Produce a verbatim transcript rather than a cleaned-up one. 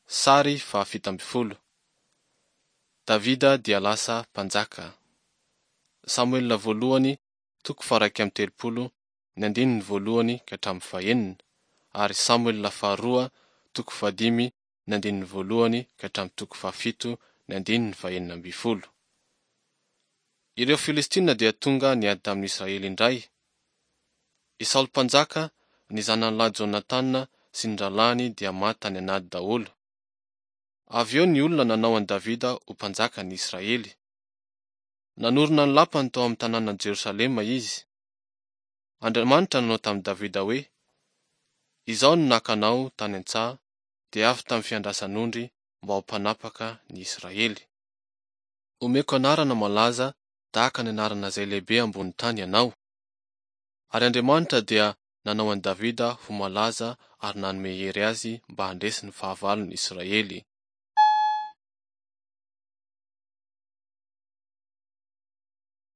Sary fahafito ambin'ny folo. Davida dia lasa mpanjaka. Samoela voalohany toko faha-iraika amby telopolo ny andininy voalohany ka hatramin'ny fahenina ary Samoela faharoa toko fahadimy ny andininy voalohany ka hatramin'ny toko fahafito ny andininy fahenina ambin'ny folo. Ireo Filistina dia tonga niady tamin'ny Israely indray. I Saoly mpanjaka, ny zanany lahy Jonatana sy ny rahalahiny dia maty tany an'ady daholo. Avy eo ny olona nanao an'i Davida ho mpanjakan'ny Israely. Nanorina ny lapany tao amin'ny tanànan'i Jerosalema izy. Andriamanitra nanao tamin'i Davida hoe, Izaho no naka anao tany an-tsaha, dia avy tamin'ny fiandrasan'ondry mba ho mpanapaka ny Israely. Omeko anarana malaza tahaka ny anarana izay lehibe ambony tany ianao. Ary Andriamanitra dia nanao an'i Davida ho malaza ary nanome hery azy mba handresy ny fahavalon'ny Israely.